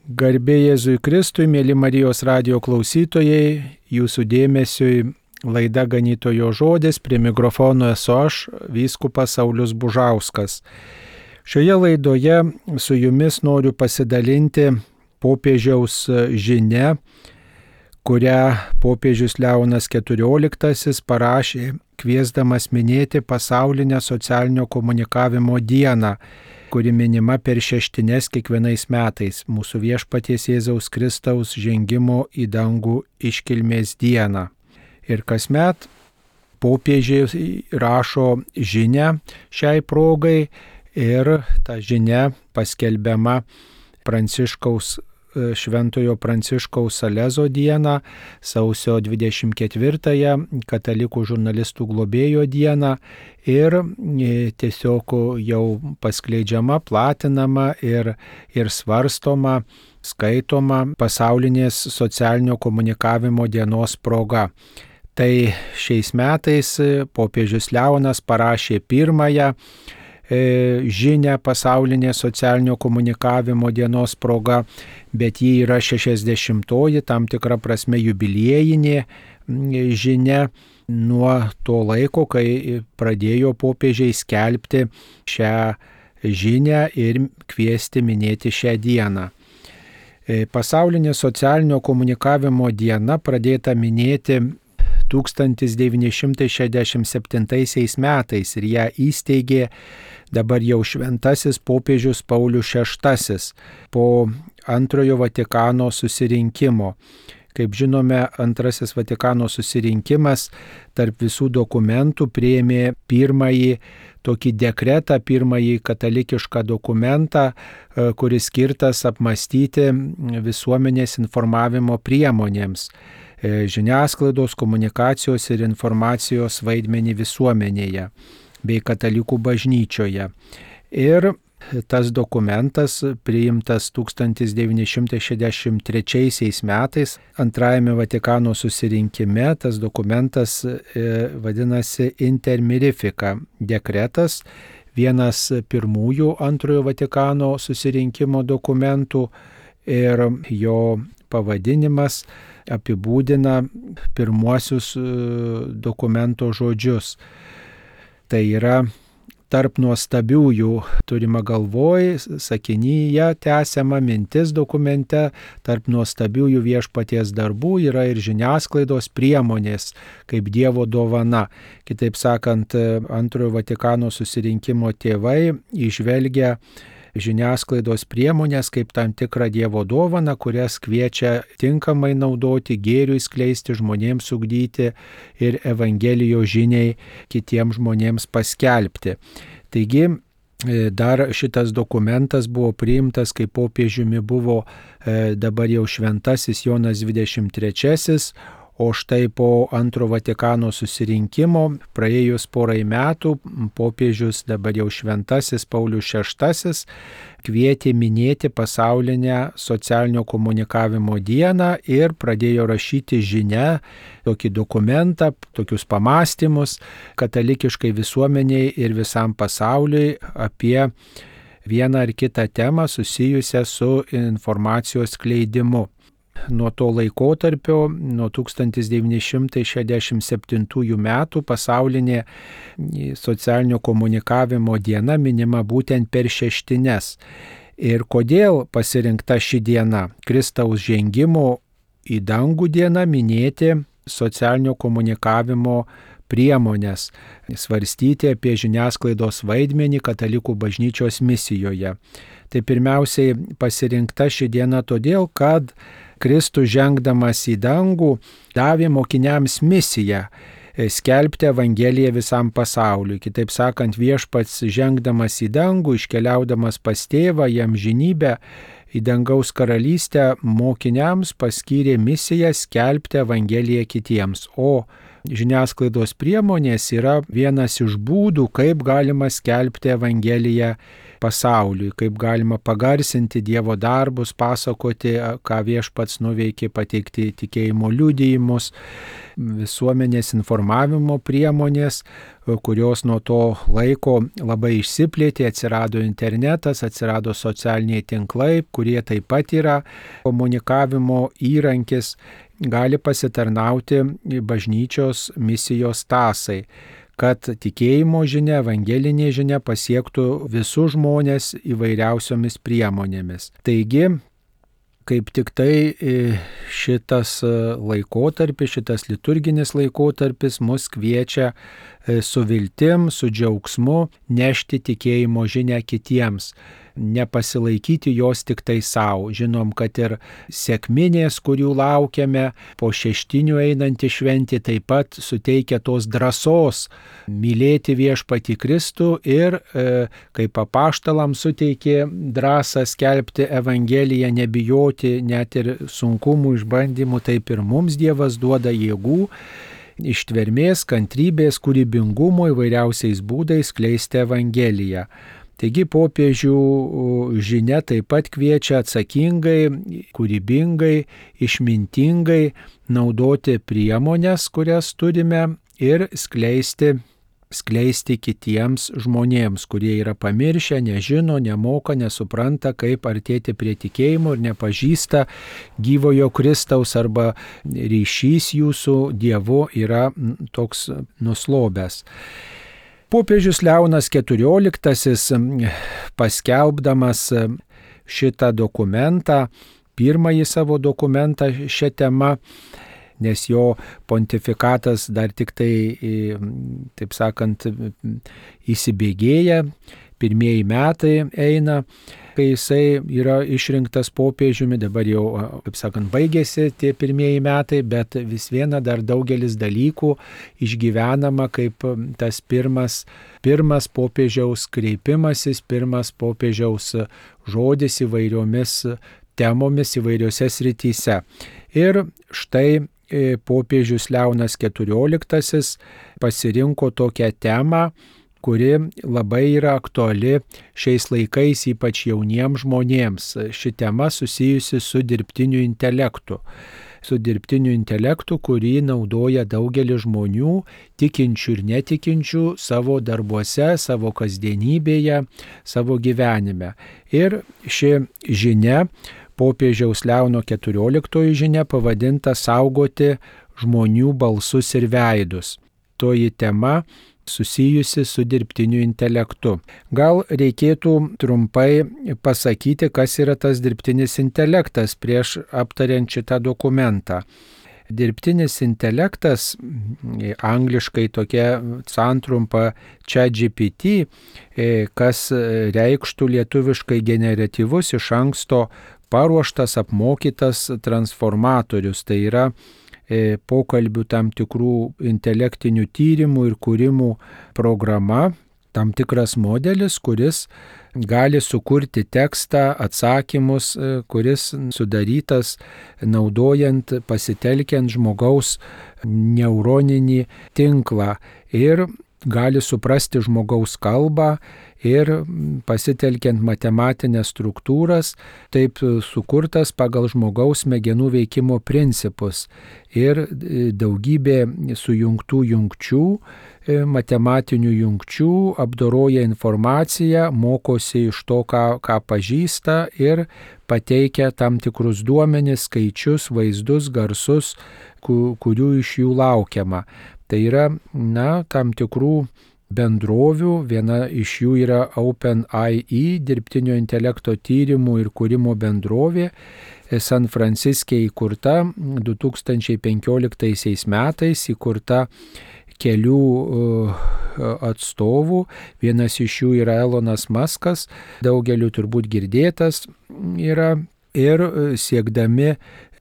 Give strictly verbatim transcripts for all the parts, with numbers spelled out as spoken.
Garbė Jėzui Kristui, mėly Marijos radijo klausytojai, jūsų dėmesiui laida Ganytojo žodis, prie mikrofono esu aš, vyskupas Saulius Bužauskas. Šioje laidoje su jumis noriu pasidalinti popiežiaus žinia, kurią popiežius Leonas keturioliktasis parašė, kviesdamas minėti pasaulinę socialinio komunikavimo dieną, kuri minima per šeštines kiekvienais metais, mūsų Viešpaties Jėzaus Kristaus žengimo į dangų iškilmės dieną. Ir kasmet popiežius rašo žinią šiai progai ir ta žinia paskelbiama Pranciškaus Šventojo Pranciškaus Salezo dieną, sausio dvidešimt ketvirtąją katalikų žurnalistų globėjo dieną ir tiesiog jau paskleidžiama, platinama ir, ir svarstoma, skaitoma pasaulinės socialinio komunikavimo dienos proga. Tai šiais metais popiežius Leonas parašė pirmąją žinią pasaulinė socialinio komunikavimo dienos proga, bet ji yra šešiasdešimtoji, tam tikra prasme jubiliejinė žinia nuo to laiko, kai pradėjo popiežiai skelbti šią žinią ir kviesti minėti šią dieną. Pasaulinė socialinio komunikavimo diena pradėta minėti tūkstantis devyni šimtai šešiasdešimt septintaisiais metais ir ją įsteigė dabar jau šventasis popiežius Paulius šeštasis po antrojo Vatikano susirinkimo. Kaip žinome, antrasis Vatikano susirinkimas tarp visų dokumentų priėmė pirmąjį tokį dekretą, pirmąjį katalikišką dokumentą, kuris skirtas apmastyti visuomenės informavimo priemonėms, žiniasklaidos, komunikacijos ir informacijos vaidmenį visuomenėje bei katalikų bažnyčioje. Ir tas dokumentas priimtas tūkstantis devyni šimtai šešiasdešimt trečiaisiais metais antrajame Vatikano susirinkime. Tas dokumentas vadinasi Inter Mirifica dekretas, vienas pirmųjų antrojo Vatikano susirinkimo dokumentų, ir jo pavadinimas apibūdina pirmuosius dokumento žodžius. Tai yra tarp nuostabiųjų, turima galvoj, sakinyje tęsiama mintis dokumente, tarp nuostabiųjų Viešpaties darbų yra ir žiniasklaidos priemonės kaip Dievo dovana. Kitaip sakant, antrojo Vatikano susirinkimo tėvai įžvelgia žiniasklaidos priemonės kaip tam tikrą Dievo dovaną, kurias kviečia tinkamai naudoti, gėriui skleisti, žmonėms ugdyti ir Evangelijos žiniai kitiems žmonėms paskelbti. Taigi, dar šitas dokumentas buvo priimtas, kai popiežiumi buvo dabar jau šventasis Jonas dvidešimt trečiasis, o štai po antro Vatikano susirinkimo, praėjus porai metų, popiežius dabar jau šventasis Paulius šeštasis kvietė minėti pasaulinę socialinio komunikavimo dieną ir pradėjo rašyti žinią, tokį dokumentą, tokius pamąstymus katalikiškai visuomeniai ir visam pasauliui apie vieną ar kitą temą susijusią su informacijos skleidimu. Nuo to laikotarpio, nuo tūkstantis devyni šimtai šešiasdešimt septintųjų metų pasaulinė socialinio komunikavimo diena minima būtent per šeštines. Ir kodėl pasirinkta ši diena? Kristaus žengimo į dangų diena minėti socialinio komunikavimo priemonės, svarstyti apie žiniasklaidos vaidmenį katalikų bažnyčios misijoje. Tai pirmiausiai pasirinkta ši diena todėl, kad Kristus žengdamas į dangų davė mokiniams misiją skelbti Evangeliją visam pasauliui. Kitaip sakant, Viešpats žengdamas į dangų, iškeliaudamas pas tėvą į amžinybę, į dangaus karalystę, mokiniams paskyrė misiją skelbti Evangeliją kitiems. O žiniasklaidos priemonės yra vienas iš būdų, kaip galima skelbti Evangeliją pasauliui, kaip galima pagarsinti Dievo darbus, pasakoti, ką Viešpats nuveikė, pateikti tikėjimo liudijimus, visuomenės informavimo priemonės, kurios nuo to laiko labai išsiplėtė, atsirado internetas, atsirado socialiniai tinklai, kurie taip pat yra komunikavimo įrankis, gali pasitarnauti bažnyčios misijos tąsai, kad tikėjimo žinia, evangelinė žinia pasiektų visus žmonės įvairiausiomis priemonėmis. Taigi, kaip tik tai šitas laikotarpis, šitas liturginis laikotarpis mus kviečia su viltim, su džiaugsmu nešti tikėjimo žinią kitiems, nepasilaikyti jos tik tai savo. Žinom, kad ir sekminės, kurių laukiame, po šeštinių einanti šventė taip pat suteikia tos drąsos mylėti Viešpatį Kristų ir e, kaip apaštalams suteikė drąsą skelbti Evangeliją, nebijoti net ir sunkumų, išbandymų, taip ir mums Dievas duoda jėgų, ištvermės, kantrybės, kūrybingumo įvairiausiais būdais skleisti Evangeliją. Taigi popiežių žinia taip pat kviečia atsakingai, kūrybingai, išmintingai naudoti priemonės, kurias turime, ir skleisti, skleisti kitiems žmonėms, kurie yra pamiršę, nežino, nemoka, nesupranta, kaip artėti prie tikėjimo ir nepažįsta gyvojo Kristaus, arba ryšys jūsų Dievu yra toks nuslobęs. Popiežius Leonas keturioliktasis, paskelbdamas šitą dokumentą, pirmąjį savo dokumentą šią temą, nes jo pontifikatas dar tik tai, taip sakant, įsibėgėja, pirmieji metai eina, kai jisai yra išrinktas popiežiumi, dabar jau, kaip sakant, baigėsi tie pirmieji metai, bet vis viena dar daugelis dalykų išgyvenama kaip tas pirmas, pirmas popiežiaus kreipimasis, pirmas popiežiaus žodis įvairiomis temomis įvairiose srityse. Ir štai popiežius Leonas keturioliktasis pasirinko tokią temą, kuri labai yra aktuali šiais laikais, ypač jauniems žmonėms. Ši tema susijusi su dirbtiniu intelektu. Su dirbtiniu intelektu, kurį naudoja daugelis žmonių, tikinčių ir netikinčių, savo darbuose, savo kasdienybėje, savo gyvenime. Ir ši žinia, popiežiaus Leono keturioliktoji žinia, pavadinta Saugoti žmonių balsus ir veidus. Toji tema susijusi su dirbtiniu intelektu. Gal reikėtų trumpai pasakyti, kas yra tas dirbtinis intelektas prieš aptariant šitą dokumentą. Dirbtinis intelektas, angliškai tokia santrumpa ChatGPT, kas reikštų lietuviškai generatyvus, iš anksto paruoštas, apmokytas transformatorius. Tai yra pokalbių tam tikrų intelektinių tyrimų ir kūrimų programa, tam tikras modelis, kuris gali sukurti tekstą, atsakymus, kuris sudarytas naudojant, pasitelkiant žmogaus neuroninį tinklą ir gali suprasti žmogaus kalbą ir pasitelkiant matematinės struktūras, taip sukurtas pagal žmogaus smegenų veikimo principus ir daugybė sujungtų jungčių, matematinių jungčių, apdoroja informaciją, mokosi iš to, ką, ką pažįsta ir pateikia tam tikrus duomenis, skaičius, vaizdus, garsus, kurių iš jų laukiama. Tai yra, na, tam tikrų bendrovių, viena iš jų yra OpenAI, dirbtinio intelekto tyrimų ir kūrimo bendrovė, San Franciske įkurta du tūkstančiai penkioliktaisiais metais, įkurta kelių atstovų, vienas iš jų yra Elonas Muskas, daugeliu turbūt girdėtas yra, ir siekdami,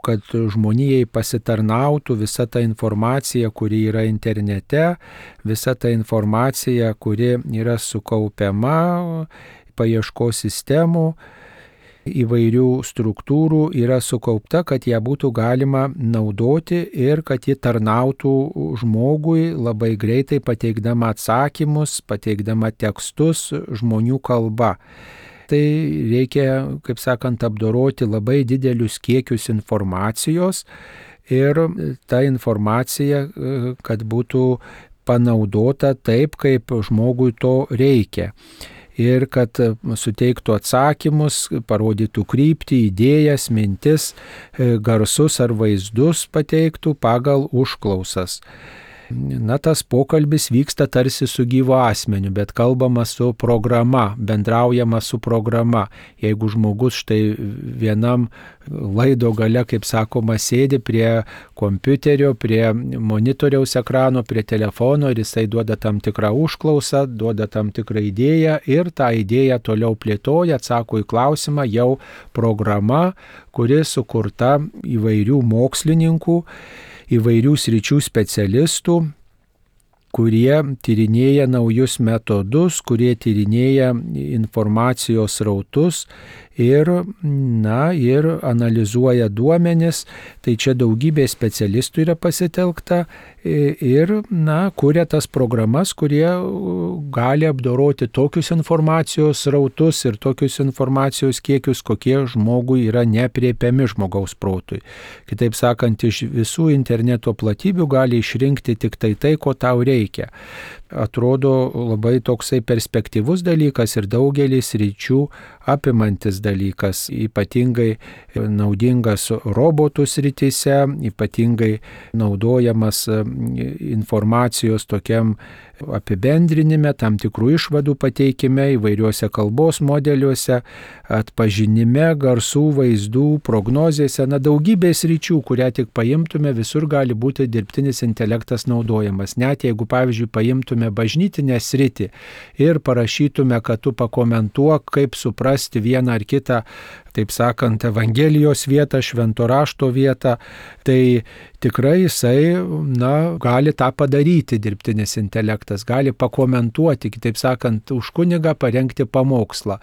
kad žmonijai pasitarnautų visa ta informacija, kuri yra internete, visa ta informacija, kuri yra sukaupiama paieškos sistemų, įvairių struktūrų yra sukaupta, kad ją būtų galima naudoti ir kad ji tarnautų žmogui labai greitai pateikdama atsakymus, pateikdama tekstus žmonių kalba. Tai reikia, kaip sakant, apdoroti labai didelius kiekius informacijos ir ta informacija, kad būtų panaudota taip, kaip žmogui to reikia. Ir kad suteiktų atsakymus, parodytų kryptį, idėjas, mintis, garsus ar vaizdus pateiktų pagal užklausas. Na, tas pokalbis vyksta tarsi su gyvu asmeniu, bet kalbama su programa, bendraujama su programa. Jeigu žmogus štai vienam laido gale, kaip sakoma, sėdi prie kompiuterio, prie monitoriaus ekrano, prie telefono ir jisai duoda tam tikrą užklausą, duoda tam tikrą idėją ir tą idėją toliau plėtoja, atsako į klausimą, jau programa, kuri sukurta įvairių mokslininkų, įvairių sričių specialistų, kurie tyrinėja naujus metodus, kurie tyrinėja informacijos srautus ir, na, ir analizuoja duomenis. Tai čia daugybė specialistų yra pasitelkta ir, na, kuria tas programas, kurie gali apdoroti tokius informacijos srautus ir tokius informacijos kiekius, kokie žmogui yra nepriepiami žmogaus protui. Kitaip sakant, iš visų interneto platybių gali išrinkti tik tai tai, ko tau reikia. Atrodo labai toksai perspektyvus dalykas ir daugelis ryčių apimantis dalykas, ypatingai naudingas robotų srityse, ypatingai naudojamas informacijos tokiam apibendrinime, tam tikrų išvadų pateikime, įvairiuose kalbos modeliuose, atpažinime, garsų, vaizdų, prognozėse, na daugybės ryčių, kurią tik paimtume, visur gali būti dirbtinis intelektas naudojamas. Net jeigu, pavyzdžiui, paimtume bažnytinę sritį ir parašytume, kad tu pakomentuok, kaip suprasti vieną ar kitą, taip sakant, Evangelijos vietą, švento rašto vietą, tai tikrai jisai, na, gali tą padaryti, dirbtinis intelektas, gali pakomentuoti, kitaip sakant, už kunigą parengti pamokslą.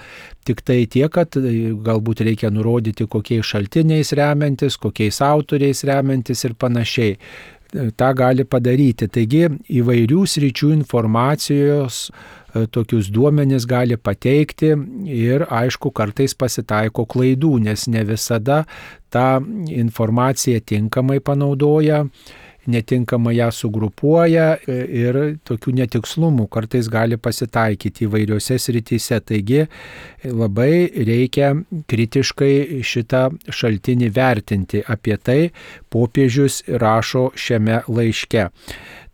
Tik tai tiek, kad galbūt reikia nurodyti, kokiais šaltiniais remiantis, kokiais autoriais remiantis ir panašiai. Ta gali padaryti. Taigi įvairių sričių informacijos tokius duomenis gali pateikti ir, aišku, kartais pasitaiko klaidų, nes ne visada tą informaciją tinkamai panaudoja, netinkamai ją sugrupuoja ir tokių netikslumų kartais gali pasitaikyti įvairiose srityse. Taigi labai reikia kritiškai šitą šaltinį vertinti. Apie tai popiežius rašo šiame laiške.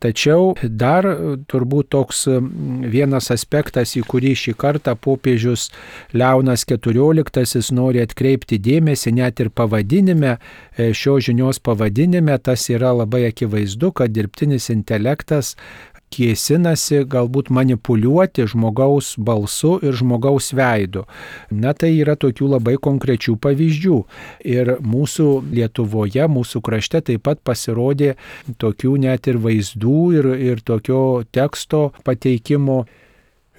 Tačiau dar turbūt toks vienas aspektas, į kurį šį kartą popiežius Leonas keturioliktasis nori atkreipti dėmesį, net ir pavadinime, šios žinios pavadinime, tas yra labai akivaizdu, kad dirbtinis intelektas kėsinasi galbūt manipuliuoti žmogaus balsu ir žmogaus veidu. Na, tai yra tokių labai konkrečių pavyzdžių. Ir mūsų Lietuvoje, mūsų krašte taip pat pasirodė tokių net ir vaizdų ir, ir tokio teksto pateikimo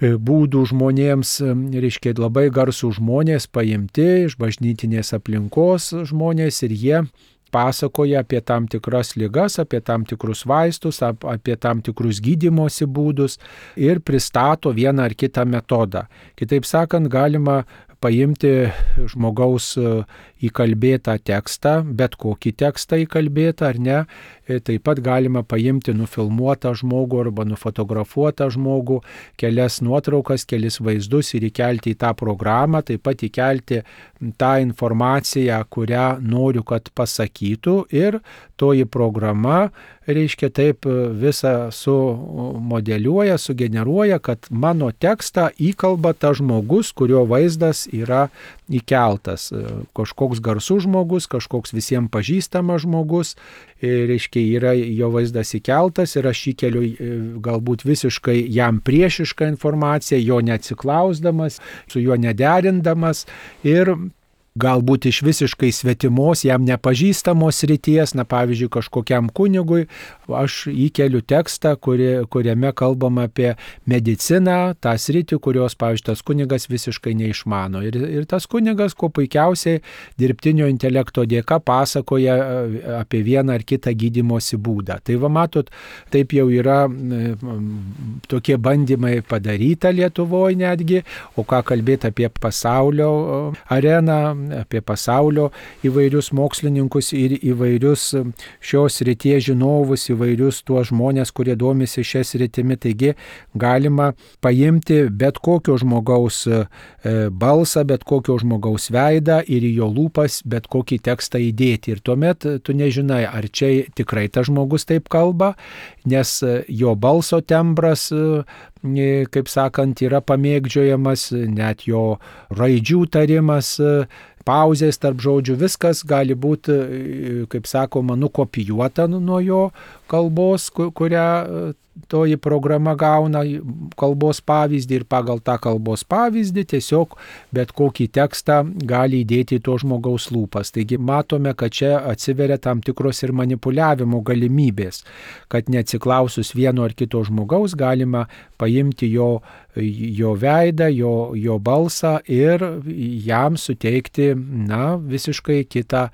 būdų žmonėms, reiškia, labai garsų žmonės paimti iš bažnytinės aplinkos žmonės ir jie pasakoja apie tam tikras ligas, apie tam tikrus vaistus, apie tam tikrus gydymosi būdus ir pristato vieną ar kitą metodą. Kitaip sakant, galima paimti žmogaus įkalbėtą tekstą, bet kokį tekstą įkalbėtą ar ne, taip pat galima paimti nufilmuotą žmogų arba nufotografuotą žmogų, kelias nuotraukas, kelis vaizdus ir įkelti į tą programą, taip pat įkelti tą informaciją, kurią noriu, kad pasakytų ir toji programa, reiškia, taip visą sumodeliuoja, sugeneruoja, kad mano tekstą įkalba tas žmogus, kurio vaizdas yra įkeltas. Kažkoks garsus žmogus, kažkoks visiems pažįstamas žmogus, reiškia, yra jo vaizdas įkeltas ir aš įkeliu galbūt visiškai jam priešišką informaciją, jo neatsiklausdamas, su juo nederindamas ir galbūt iš visiškai svetimos, jam nepažįstamos srities, na pavyzdžiui, kažkokiam kunigui, aš įkeliu tekstą, kuri, kuriame kalbama apie mediciną, tą sritį, kurios, pavyzdžiui, tas kunigas visiškai neišmano. Ir, ir tas kunigas, kuo puikiausiai dirbtinio intelekto dėka pasakoja apie vieną ar kitą gydymosi būdą. Tai va matot, taip jau yra tokie bandymai padaryta Lietuvoje netgi, o ką kalbėti apie pasaulio areną, apie pasaulio įvairius mokslininkus ir įvairius šios srities žinovus, įvairius tuos žmonės, kurie domisi šią sritimi. Taigi galima paimti bet kokio žmogaus balsą, bet kokio žmogaus veidą ir į jo lūpas bet kokį tekstą įdėti. Ir tuomet tu nežinai, ar čia tikrai tas žmogus taip kalba, nes jo balso tembras, kaip sakant, yra pamėgdžiojamas, net jo raidžių tarimas, pauzės tarp žodžių, viskas gali būti, kaip sakoma, nukopijuota nuo jo kalbos, kurią toji programa gauna kalbos pavyzdį, ir pagal tą kalbos pavyzdį tiesiog bet kokį tekstą gali įdėti į to žmogaus lūpas. Taigi matome, kad čia atsiveria tam tikros ir manipuliavimo galimybės, kad neatsiklausus vieno ar kito žmogaus galima paimti jo, jo veidą, jo, jo balsą ir jam suteikti, na, visiškai kitą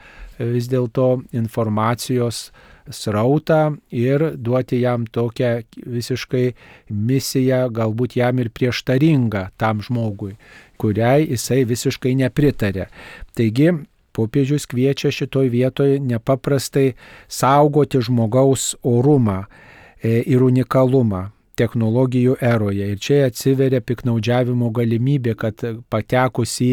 vis dėlto informacijos srautą ir duoti jam tokią visiškai misiją, galbūt jam ir prieštaringą tam žmogui, kuriai jisai visiškai nepritarė. Taigi, popiežius kviečia šitoj vietoje nepaprastai saugoti žmogaus orumą ir unikalumą technologijų eroje. Ir čia atsiveria piknaudžiavimo galimybė, kad patekus į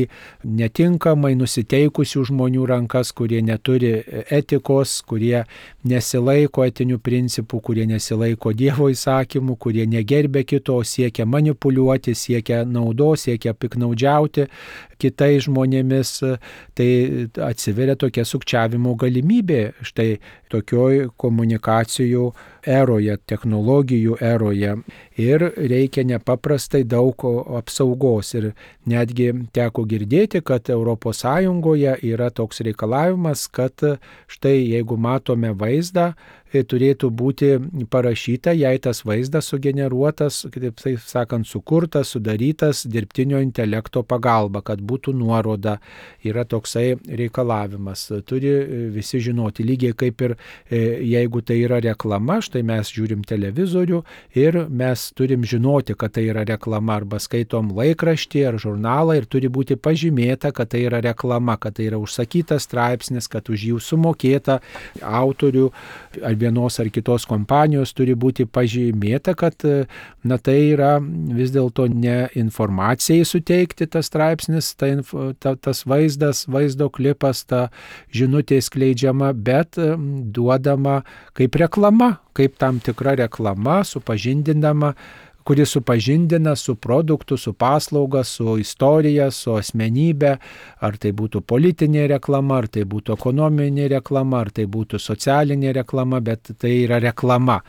netinkamai nusiteikusių žmonių rankas, kurie neturi etikos, kurie nesilaiko etinių principų, kurie nesilaiko Dievo įsakymų, kurie negerbia kito, siekia manipuliuoti, siekia naudos, siekia piknaudžiauti kitais žmonėmis, tai atsiveria tokia sukčiavimo galimybė štai tokioj komunikacijų eroje, technologijų eroje. Ir reikia nepaprastai daug apsaugos. Ir netgi teko girdėti, kad Europos Sąjungoje yra toks reikalavimas, kad štai jeigu matome vaizdą, turėtų būti parašyta, jei tas vaizdas sugeneruotas, kaip taip sakant, sukurtas, sudarytas dirbtinio intelekto pagalba, kad būtų nuoroda. Yra toksai reikalavimas. Turi visi žinoti, lygiai kaip ir jeigu tai yra reklama, štai mes žiūrim televizorių ir mes turim žinoti, kad tai yra reklama, arba skaitom laikraštį ar žurnalą ir turi būti pažymėta, kad tai yra reklama, kad tai yra užsakytas straipsnis, kad už jų sumokėta autorių ar vienos ar kitos kompanijos turi būti pažymėta, kad na, tai yra vis dėlto ne informacijai suteikti tas straipsnis, ta, ta, tas vaizdas, vaizdo klipas, ta žinutė skleidžiama, bet duodama kaip reklama, kaip tam tikra reklama, supažindinama, kuri supažindina su produktu, su paslauga, su istorija, su asmenybė, ar tai būtų politinė reklama, ar tai būtų ekonominė reklama, ar tai būtų socialinė reklama, bet tai yra reklama.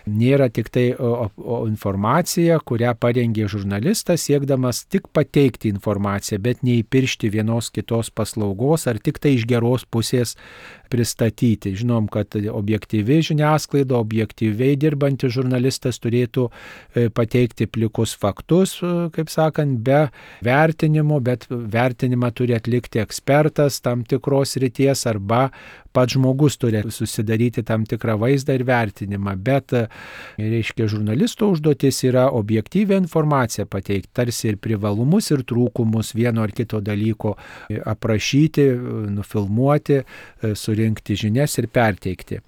Nėra tik tai o, o informacija, kurią parengė žurnalistas, siekdamas tik pateikti informaciją, bet neįpiršti vienos kitos paslaugos, ar tik tai iš geros pusės pristatyti. Žinom, kad objektyvi žiniasklaida, objektyviai dirbantis žurnalistas turėtų pateikti plikus faktus, kaip sakant, be vertinimo, bet vertinimą turi atlikti ekspertas tam tikros srities, arba pats žmogus turi susidaryti tam tikrą vaizdą ir vertinimą. Bet, reiškia, žurnalisto užduotis yra objektyvią informaciją pateikti, tarsi ir privalumus, ir trūkumus vieno ar kito dalyko aprašyti, nufilmuoti, surinkti žinias ir perteikti.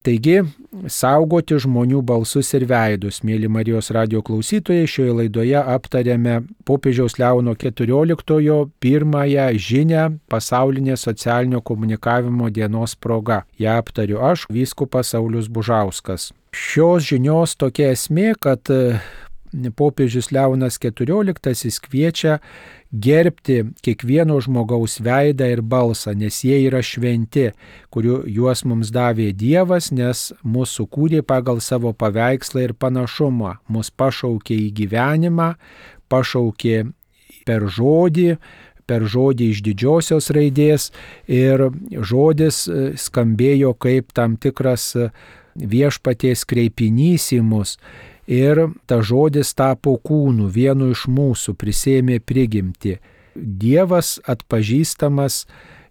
Taigi, saugoti žmonių balsus ir veidus. Mėly Marijos radijo klausytojai, šioje laidoje aptarėme popiežiaus Leono keturioliktojo pirmąją žinią pasaulinės socialinio komunikavimo dienos proga. Ja aptariu aš, vyskupas Saulius Bužauskas. Šios žinios tokia esmė, kad popiežius Leonas keturioliktasis kviečia gerbti kiekvieno žmogaus veidą ir balsą, nes jie yra šventi, kuriuo juos mums davė Dievas, nes mus sukūrė pagal savo paveikslą ir panašumą, mus pašaukė į gyvenimą, pašaukė per žodį, per žodį iš didžiosios raidės ir žodis skambėjo kaip tam tikras viešpaties kreipinys į mus. Ir ta žodis tapo kūnu, vienu iš mūsų, prisėmė prigimtį. Dievas atpažįstamas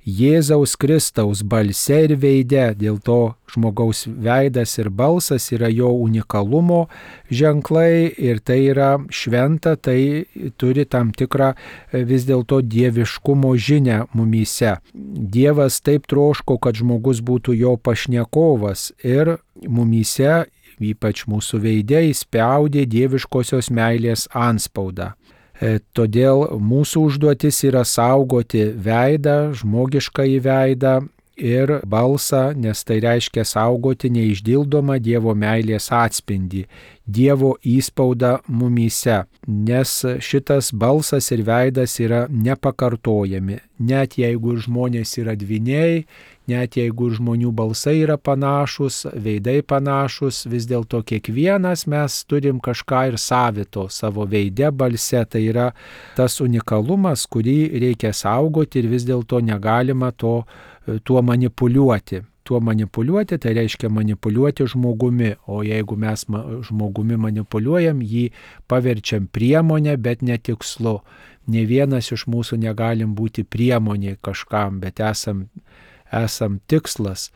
Jėzaus Kristaus balse ir veide, dėl to žmogaus veidas ir balsas yra jo unikalumo ženklai ir tai yra šventa, tai turi tam tikrą vis dėlto dieviškumo žinią mumyse. Dievas taip troško, kad žmogus būtų jo pašnekovas ir mumyse, ypač mūsų veide, įspaudė dieviškosios meilės antspaudą. E, todėl mūsų užduotis yra saugoti veidą, žmogiškąjį veidą ir balsą, nes tai reiškia saugoti neišdildomą Dievo meilės atspindį, Dievo įspaudą mumyse, nes šitas balsas ir veidas yra nepakartojami, net jeigu žmonės yra dvyniai, net jeigu žmonių balsai yra panašus, veidai panašus, vis dėlto kiekvienas mes turim kažką ir savito savo veide, balse, tai yra tas unikalumas, kurį reikia saugoti ir vis dėlto negalima to, tuo manipuliuoti. Tuo manipuliuoti, tai reiškia manipuliuoti žmogumi, o jeigu mes žmogumi manipuliuojam, jį paverčiam priemonę, bet ne tikslu. Ne vienas iš mūsų negalim būti priemonė kažkam, bet esam esam tikslas,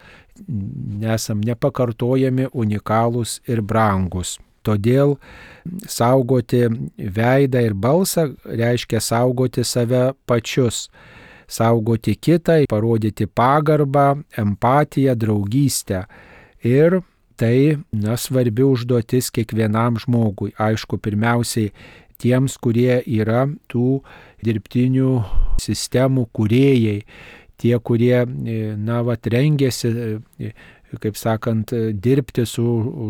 esam nepakartojami, unikalūs ir brangus. Todėl saugoti veidą ir balsą reiškia saugoti save pačius, saugoti kitą, parodyti pagarbą, empatiją, draugystę. Ir tai, na, svarbi užduotis kiekvienam žmogui. Aišku, pirmiausiai tiems, kurie yra tų dirbtinių sistemų kūrėjai, tie, kurie, na, vat, rengėsi, kaip sakant, dirbti su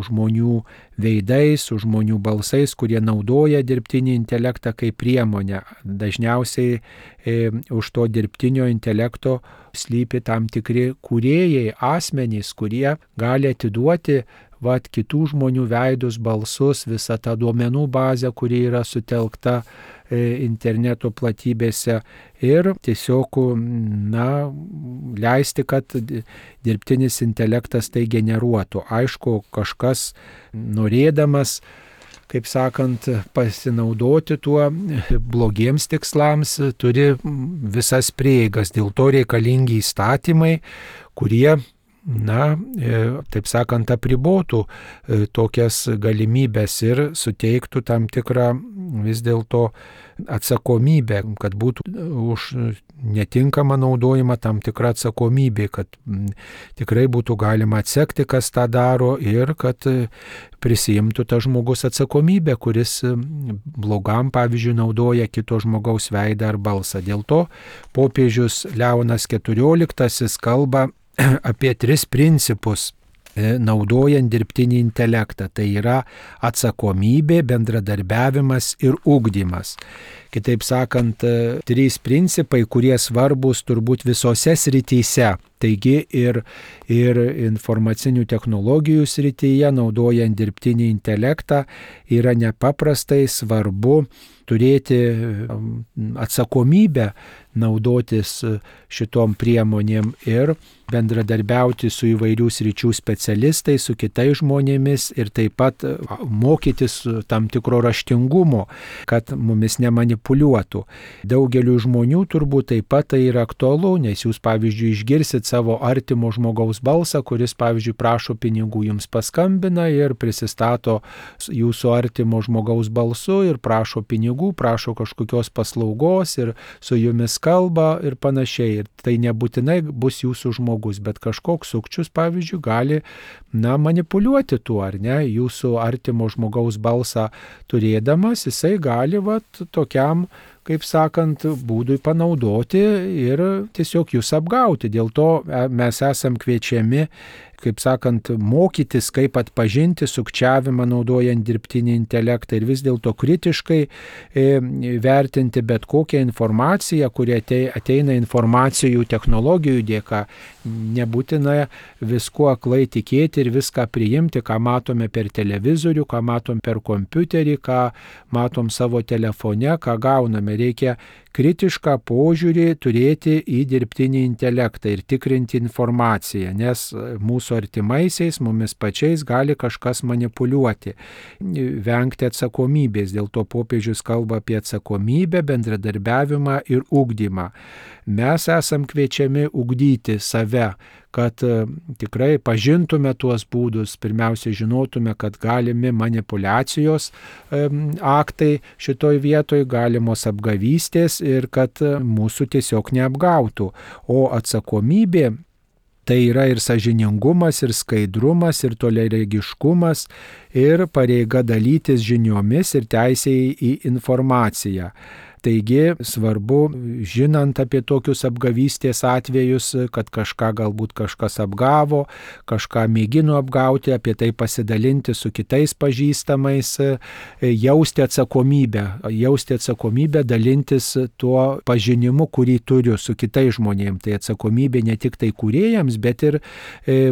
žmonių veidais, su žmonių balsais, kurie naudoja dirbtinį intelektą kaip priemonę. Dažniausiai e, už to dirbtinio intelekto slypi tam tikri kūrėjai, asmenys, kurie gali atiduoti vat, kitų žmonių veidus, balsus, visą tą duomenų bazę, kuri yra sutelkta interneto platybėse ir tiesiog, na, leisti, kad dirbtinis intelektas tai generuotų. Aišku, kažkas norėdamas, kaip sakant, pasinaudoti tuo blogiems tikslams, turi visas prieigas. Dėl to reikalingi įstatymai, kurie, na, taip sakant, apribotų tokias galimybės ir suteiktų tam tikrą vis dėlto atsakomybę, kad būtų už netinkamą naudojimą tam tikra atsakomybė, kad tikrai būtų galima atsekti, kas tą daro ir kad prisijimtų tas žmogus atsakomybę, kuris blogam, pavyzdžiui, naudoja kito žmogaus veidą ar balsą. Dėl to popiežius Leonas keturioliktasis kalba apie tris principus naudojant dirbtinį intelektą. Tai yra atsakomybė, bendradarbiavimas ir ugdymas. Kitaip sakant, trys principai, kurie svarbus turbūt visose srityse. Taigi ir, ir informacinių technologijų srityje, naudojant dirbtinį intelektą, yra nepaprastai svarbu turėti atsakomybę naudotis šitom priemonėm ir bendradarbiauti su įvairių sričių specialistais, su kitais žmonėmis ir taip pat mokytis tam tikro raštingumo, kad mumis nemanipuliuotų. Daugeliu žmonių turbūt taip pat tai yra aktualu, nes jūs, pavyzdžiui, išgirsit savo artimo žmogaus balsą, kuris, pavyzdžiui, prašo pinigų, jums paskambina ir prisistato jūsų artimo žmogaus balsu ir prašo pinigų, prašo kažkokios paslaugos ir su jumis kalba ir panašiai. Ir tai nebūtinai bus jūsų žmogus, bet kažkoks sukčius, pavyzdžiui, gali, na, manipuliuoti tuo, ar ne, jūsų artimo žmogaus balsą turėdamas, jisai gali, vat, tokiam, kaip sakant, būdui panaudoti ir tiesiog jūs apgauti. Dėl to mes esam kviečiami, kaip sakant, mokytis, kaip atpažinti sukčiavimą naudojant dirbtinį intelektą ir vis dėlto kritiškai e, vertinti bet kokią informaciją, kuri ateina informacijų technologijų dėka. Nebūtina viskuo aklai tikėti ir viską priimti, ką matome per televizorių, ką matom per kompiuterį, ką matom savo telefone, ką gauname. reikia kritišką požiūrį turėti į dirbtinį intelektą ir tikrinti informaciją, nes mūsų artimaisiais, mumis pačiais gali kažkas manipuliuoti, vengti atsakomybės. Dėl to popiežius kalba apie atsakomybę, bendradarbiavimą ir ugdymą. Mes esam kviečiami ugdyti save, kad tikrai pažintume tuos būdus, pirmiausia žinotume, kad galimi manipulacijos aktai šitoj vietoj, galimos apgavystės ir kad mūsų tiesiog neapgautų. O atsakomybė tai yra ir sąžiningumas, ir skaidrumas, ir toliaregiškumas, ir pareiga dalytis žiniomis ir teisė į informaciją. Taigi svarbu, žinant apie tokius apgavystės atvejus, kad kažką galbūt kažkas apgavo, kažką mėgino apgauti, apie tai pasidalinti su kitais pažįstamais, jausti atsakomybę, jausti atsakomybę, dalintis tuo pažinimu, kurį turiu su kitais žmonėms. Tai atsakomybė ne tik tai kūrėjams, bet ir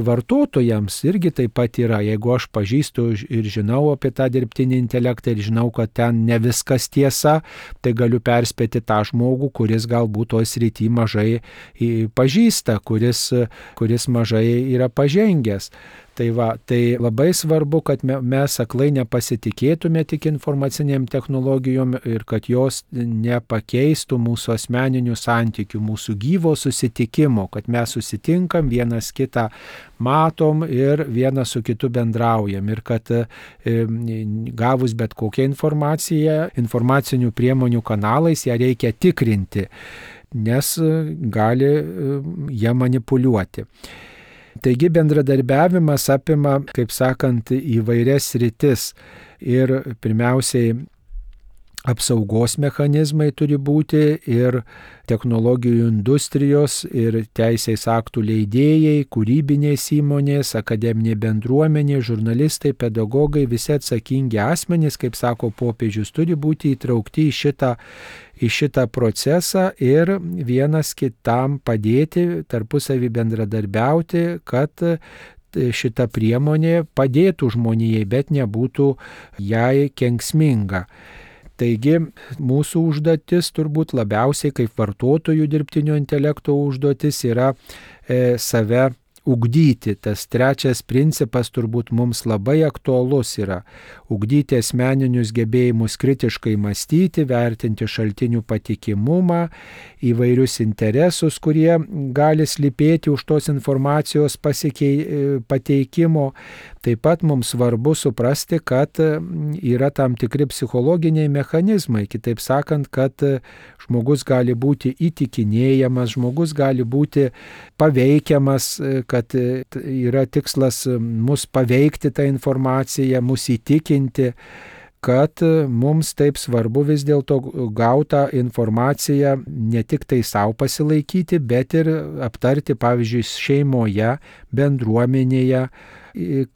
vartotojams irgi taip pat yra. Jeigu aš pažįstu ir žinau apie tą dirbtinį intelektą ir žinau, kad ten ne viskas tiesa, tai galiu perspėti tą žmogų, kuris galbūt toj srity mažai pažįsta, kuris, kuris mažai yra pažengęs. Tai, va, tai labai svarbu, kad mes aklai nepasitikėtume tik informaciniam technologijom ir kad jos nepakeistų mūsų asmeninių santykių, mūsų gyvo susitikimo, kad mes susitinkam, vienas kitą matom ir vienas su kitu bendraujam ir kad e, gavus bet kokią informaciją, informacinių priemonių kanalais ją reikia tikrinti, nes gali ją manipuliuoti. Taigi bendradarbiavimas apima, kaip sakant, įvairias sritis ir pirmiausiai apsaugos mechanizmai turi būti ir technologijų industrijos ir teisės aktų leidėjai, kūrybinės įmonės, akademinė bendruomenė, žurnalistai, pedagogai, visi atsakingi asmenys, kaip sako popiežius, turi būti įtraukti į šitą, į šitą procesą ir vienas kitam padėti, tarpusavį bendradarbiauti, kad šita priemonė padėtų žmonijai, bet nebūtų jai kenksminga. Taigi mūsų užduotis turbūt labiausiai kaip vartotojų dirbtinio intelekto užduotis yra e, save ugdyti. Tas trečias principas turbūt mums labai aktualus yra ugdyti asmeninius gebėjimus kritiškai mąstyti, vertinti šaltinių patikimumą, įvairius interesus, kurie gali slypėti už tos informacijos pasikei, pateikimo. Taip pat mums svarbu suprasti, kad yra tam tikri psichologiniai mechanizmai, kitaip sakant, kad žmogus gali būti įtikinėjamas, žmogus gali būti paveikiamas, kad yra tikslas mus paveikti tą informaciją, mus įtikinti, kad mums taip svarbu vis dėlto gautą informaciją ne tik tai savo pasilaikyti, bet ir aptarti, pavyzdžiui, šeimoje, bendruomenėje,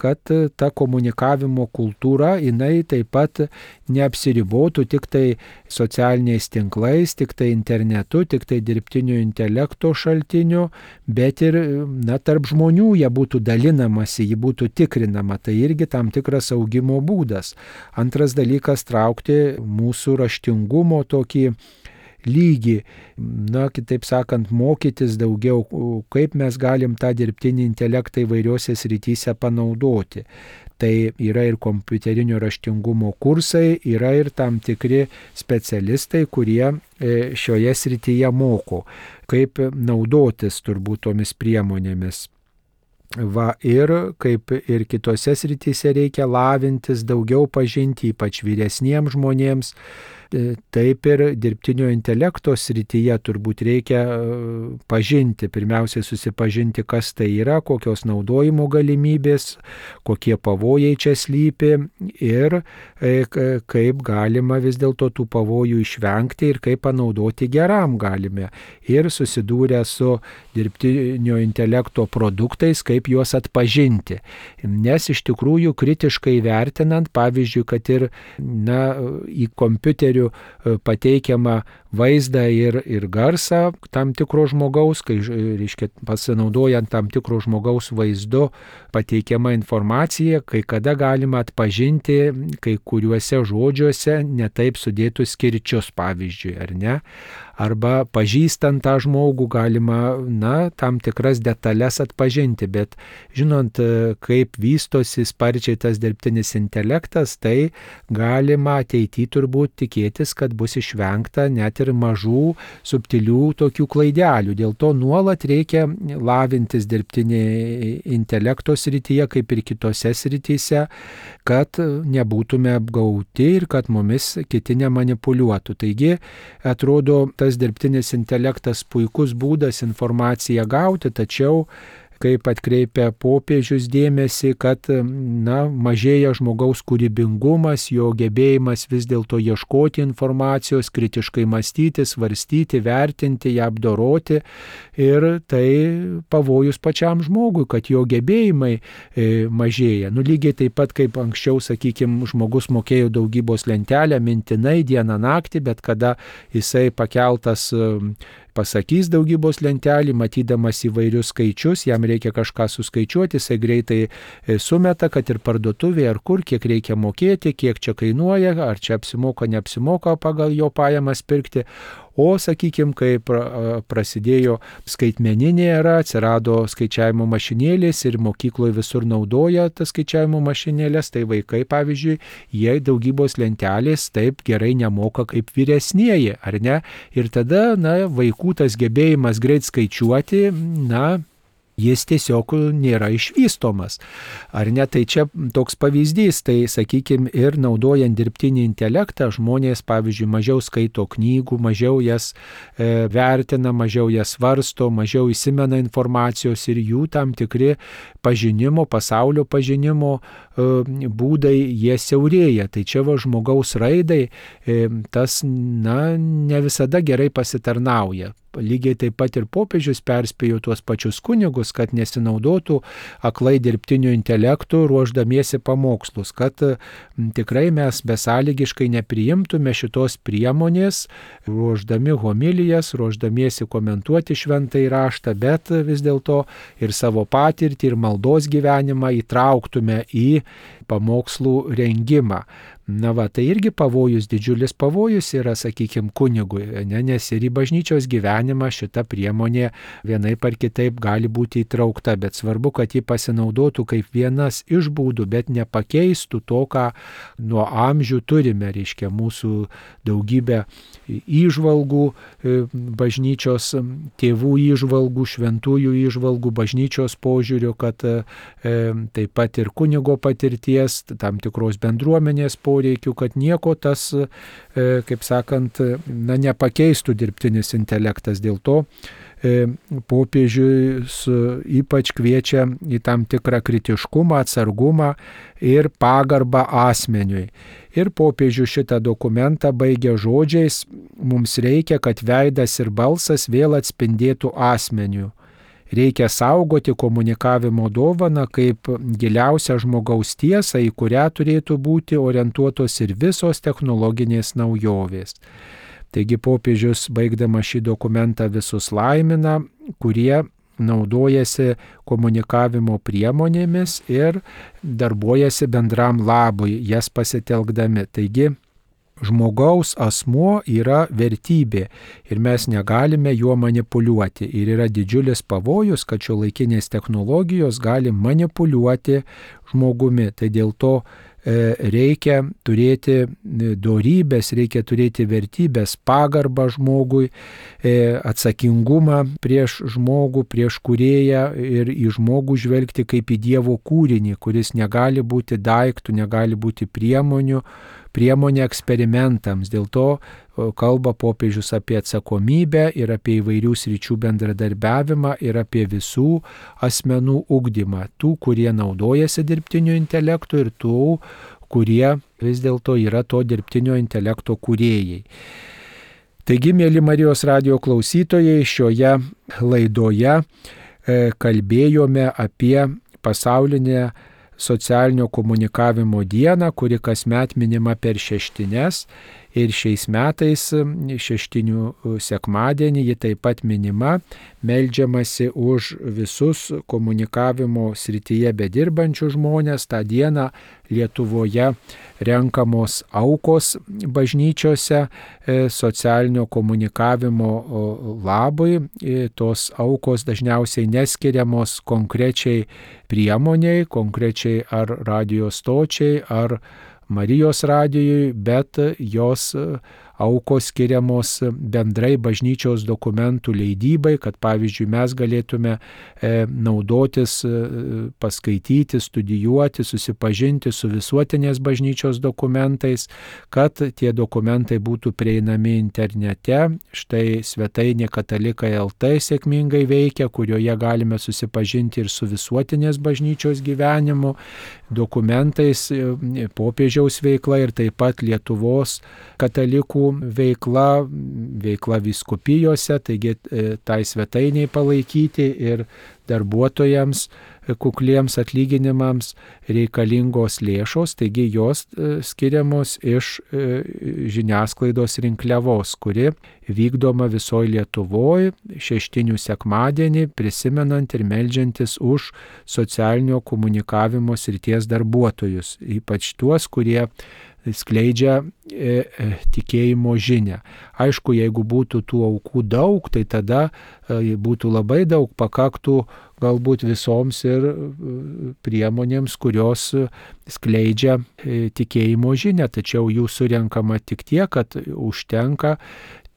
kad ta komunikavimo kultūra, jinai taip pat neapsiribotų tik tai socialiniais tinklais, tik tai internetu, tik tai dirbtinio intelekto šaltiniu, bet ir na, tarp žmonių jie būtų dalinamasi, ji būtų tikrinama. Tai irgi tam tikras augimo būdas. Antras dalykas - traukti mūsų raštingumo tokį lygį, na, kitaip sakant, mokytis daugiau, kaip mes galim tą dirbtinį intelektą įvairiuose srityse panaudoti. Tai yra ir kompiuterinio raštingumo kursai, yra ir tam tikri specialistai, kurie šioje srityje moko, kaip naudotis turbūt tomis priemonėmis. Va, ir kaip ir kitose srityse reikia lavintis, daugiau pažinti, ypač vyresniems žmonėms. Taip ir dirbtinio intelekto srityje turbūt reikia pažinti, pirmiausiai susipažinti, kas tai yra, kokios naudojimo galimybės, kokie pavojai čia slypi ir kaip galima vis dėlto tų pavojų išvengti ir kaip panaudoti geram galime. Ir susidūrę su dirbtinio intelekto produktais, kaip juos atpažinti. Nes iš tikrųjų kritiškai vertinant, pavyzdžiui, kad ir na, į kompiuterių pateikiamą vaizdą ir, ir garsą tam tikro žmogaus, kai, reiškia, pasinaudojant tam tikro žmogaus vaizdu pateikiama informacija, kai kada galima atpažinti kai kuriuose žodžiuose netaip sudėtus kirčius, pavyzdžiui, ar ne? Arba pažįstant tą žmogų galima, na, tam tikras detalės atpažinti, bet žinant, kaip vystosi sparčiai tas dirbtinis intelektas, tai galima ateityje turbūt tikėtis, kad bus išvengta net ir mažų, subtilių tokių klaidelių. Dėl to nuolat reikia lavintis dirbtinį intelekto srityje, kaip ir kitose srityse, kad nebūtume apgauti ir kad mumis kiti nemanipuliuotų. Taigi, atrodo, tas dirbtinis intelektas puikus būdas informaciją gauti, tačiau kaip atkreipia popiežius dėmesį, kad, na, mažėja žmogaus kūrybingumas, jo gebėjimas vis dėlto ieškoti informacijos, kritiškai mąstyti, svarstyti, vertinti, ją apdoroti, ir tai pavojus pačiam žmogui, kad jo gebėjimai e, mažėja. Nu, lygiai taip pat kaip anksčiau, sakykime, žmogus mokėjo daugybos lentelę mintinai dieną naktį, bet kada jisai pakeltas e, pasakys daugybos lentelį, matydamas įvairius skaičius, jam reikia kažką suskaičiuoti, jisai greitai sumeta, kad ir parduotuvėje ar kur, kiek reikia mokėti, kiek čia kainuoja, ar čia apsimoka, neapsimoka pagal jo pajamas pirkti. O, sakykime, kai prasidėjo skaitmeninė era, atsirado skaičiavimo mašinėlės ir mokykloje visur naudoja tas skaičiavimo mašinėlės, tai vaikai, pavyzdžiui, jie daugybos lentelės taip gerai nemoka kaip vyresnieji, ar ne? Ir tada, na, vaikų tas gebėjimas greit skaičiuoti, na, jis tiesiog nėra išvystomas. Ar ne? Tai čia toks pavyzdys, tai sakykime, ir naudojant dirbtinį intelektą žmonės, pavyzdžiui, mažiau skaito knygų, mažiau jas e, vertina, mažiau jas svarsto, mažiau įsimena informacijos ir jų tam tikri pažinimo, pasaulio pažinimo e, būdai, jie siaurėja. Tai čia va žmogaus raidai e, tas, na, ne visada gerai pasitarnauja. Lygiai taip pat ir popiežius perspėjo tuos pačius kunigus, kad nesinaudotų aklai dirbtiniu intelektu ruošdamiesi pamokslus, kad tikrai mes besąlygiškai nepriimtume šitos priemonės, ruošdami homilijas, ruošdamiesi komentuoti šventąjį raštą, bet vis dėlto ir savo patirtį, ir maldos gyvenimą įtrauktume į pamokslų rengimą. Na va, tai irgi pavojus, didžiulis pavojus yra, sakykime, kunigui, ne, nes ir į bažnyčios gyvenimą šita priemonė vienaip ar kitaip gali būti įtraukta, bet svarbu, kad ji pasinaudotų kaip vienas iš būdų, bet nepakeistų to, ką nuo amžių turime, reiškia mūsų daugybę įžvalgų, bažnyčios tėvų įžvalgų, šventųjų įžvalgų, bažnyčios požiūrių, kad e, taip pat ir kunigo patirties, tam tikros bendruomenės poreikių, kad nieko tas, e, kaip sakant, na, nepakeistų dirbtinis intelektas. Dėl to e, popiežius ypač kviečia į tam tikrą kritiškumą, atsargumą ir pagarbą asmeniui. Ir popiežius šitą dokumentą baigia žodžiais: mums reikia, kad veidas ir balsas vėl atspindėtų asmeniu. Reikia saugoti komunikavimo dovaną kaip giliausią žmogaus tiesą, į kurią turėtų būti orientuotos ir visos technologinės naujovės. Taigi popiežius, baigdama šį dokumentą, visus laimina, kurie naudojasi komunikavimo priemonėmis ir darbuojasi bendram labui, jas pasitelkdami. Taigi, žmogaus asmuo yra vertybė ir mes negalime juo manipuliuoti. Ir yra didžiulis pavojus, kad šiuolaikinės technologijos gali manipuliuoti žmogumi. Tai dėl to reikia turėti dorybės, reikia turėti vertybės, pagarbą žmogui, atsakingumą prieš žmogų, prieš kūrėją ir į žmogų žvelgti kaip į Dievo kūrinį, kuris negali būti daiktų, negali būti priemonių, priemonė eksperimentams. Dėl to kalba popiežius apie atsakomybę ir apie įvairių sričių bendradarbiavimą ir apie visų asmenų ugdymą. Tų, kurie naudojasi dirbtiniu intelektu ir tų, kurie vis dėlto yra to dirbtinio intelekto kūrėjai. Taigi, mėly Marijos radijo klausytojai, šioje laidoje kalbėjome apie pasaulinę socialinio komunikavimo dieną, kuri kasmet minima per šeštines. Ir šiais metais šeštinių sekmadienį ji taip pat minima, meldžiamasi už visus komunikavimo srityje bedirbančių žmonės. Ta diena Lietuvoje renkamos aukos bažnyčiose socialinio komunikavimo labui. Tos aukos dažniausiai neskiriamos konkrečiai priemoniai, konkrečiai ar radijo stočiai, ar Marijos radijui, bet jos aukos skiriamos bendrai bažnyčios dokumentų leidybai, kad pavyzdžiui mes galėtume naudotis, paskaityti, studijuoti, susipažinti su visuotinės bažnyčios dokumentais, kad tie dokumentai būtų prieinami internete. Štai svetainė katalikai taškas el tė sėkmingai veikia, kurioje galime susipažinti ir su visuotinės bažnyčios gyvenimu, dokumentais, popiežiaus veikla ir taip pat Lietuvos katalikų veikla, veikla vyskupijose, taigi tai svetainiai palaikyti ir darbuotojams kukliems atlyginimams reikalingos lėšos, taigi jos skiriamos iš žiniasklaidos rinkliavos, kuri vykdoma visoje Lietuvoje šeštinių sekmadienį, prisimenant ir meldžiantis už socialinio komunikavimo srities darbuotojus, ypač tuos, kurie skleidžia e, e, tikėjimo žinią. Aišku, jeigu būtų tų aukų daug, tai tada e, būtų labai daug, pakaktų galbūt visoms ir e, priemonėms, kurios skleidžia e, tikėjimo žinią, tačiau jų surenkama tik tiek, kad užtenka,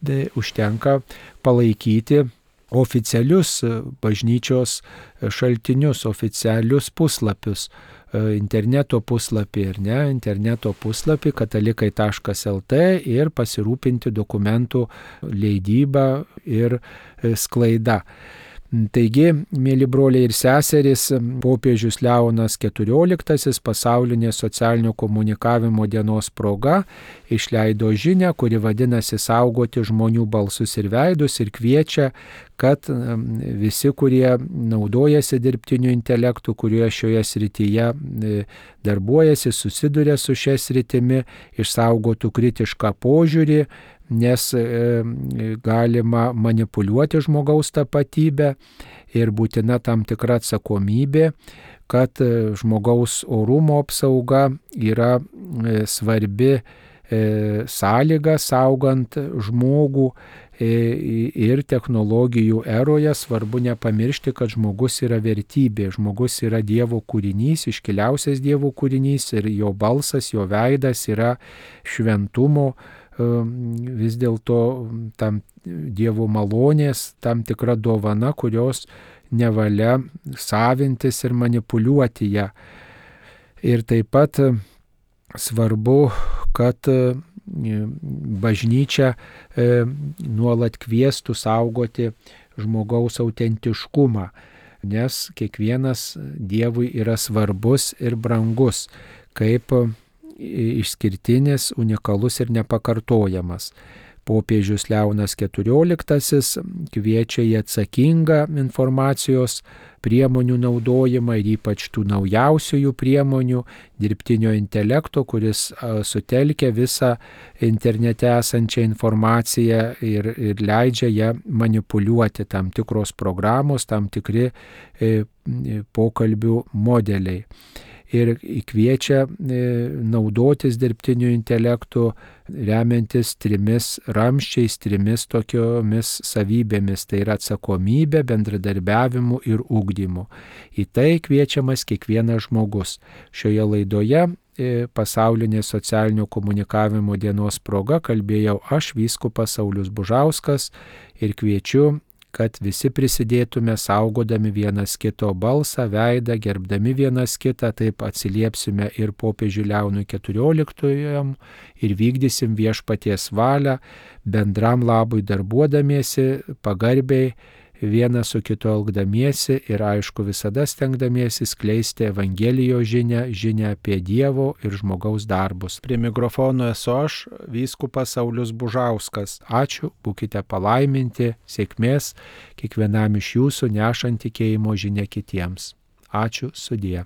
de, užtenka palaikyti oficialius bažnyčios šaltinius, oficialius puslapius, interneto puslapį ir ne, interneto puslapį katalikai taškas el tė ir pasirūpinti dokumentų leidybą ir sklaida. Taigi, mėly broliai ir seserys, popiežius Leonas keturioliktasis pasaulinės socialinio komunikavimo dienos proga išleido žinią, kuri vadinasi Saugoti žmonių balsus ir veidus, ir kviečia, kad visi, kurie naudojasi dirbtiniu intelektu, kurie šioje srityje darbuojasi, susiduria su šia sritimi, išsaugotų kritišką požiūrį, nes galima manipuliuoti žmogaus tapatybę ir būtina tam tikra atsakomybė, kad žmogaus orumo apsauga yra svarbi sąlyga saugant žmogų ir technologijų eroje. Svarbu nepamiršti, kad žmogus yra vertybė, žmogus yra Dievo kūrinys, iškiliausias Dievo kūrinys ir jo balsas, jo veidas yra šventumo, vis dėlto tam Dievo malonės, tam tikra dovana, kurios nevalia savintis ir manipuliuoti ją. Ir taip pat svarbu, kad bažnyčia nuolat kviestų saugoti žmogaus autentiškumą, nes kiekvienas Dievui yra svarbus ir brangus, kaip išskirtinis, unikalus ir nepakartojamas. Popiežius Leonas keturioliktasis kviečia į atsakingą informacijos priemonių naudojimą ir ypač tų naujausiųjų priemonių, dirbtinio intelekto, kuris sutelkia visą internete esančią informaciją ir, ir leidžia ją manipuliuoti, tam tikros programos, tam tikri e, pokalbių modeliai. Ir kviečia naudotis dirbtiniu intelektu, remiantis trimis ramščiais, trimis tokiomis savybėmis, tai yra atsakomybė, bendradarbiavimu ir ugdymu. Į tai kviečiamas kiekvienas žmogus. Šioje laidoje pasaulinės socialinio komunikavimo dienos proga kalbėjau aš, vyskupas Saulius Bužauskas, ir kviečiu, kad visi prisidėtume saugodami vienas kito balsą, veidą, gerbdami vienas kitą, taip atsiliepsime ir popiežiui Leonui keturioliktajam ir vykdysim viešpaties valią, bendram labui darbuodamiesi, pagarbiai, vienas su kitu elgdamiesi ir aišku visada stengdamiesi skleisti Evangelijos žinią, žinią apie Dievo ir žmogaus darbus. Prie mikrofono esu aš, vyskupas Saulius Bužauskas. Ačiū, būkite palaiminti, sėkmės kiekvienam iš jūsų nešant tikėjimo žinią kitiems. Ačiū, sudie.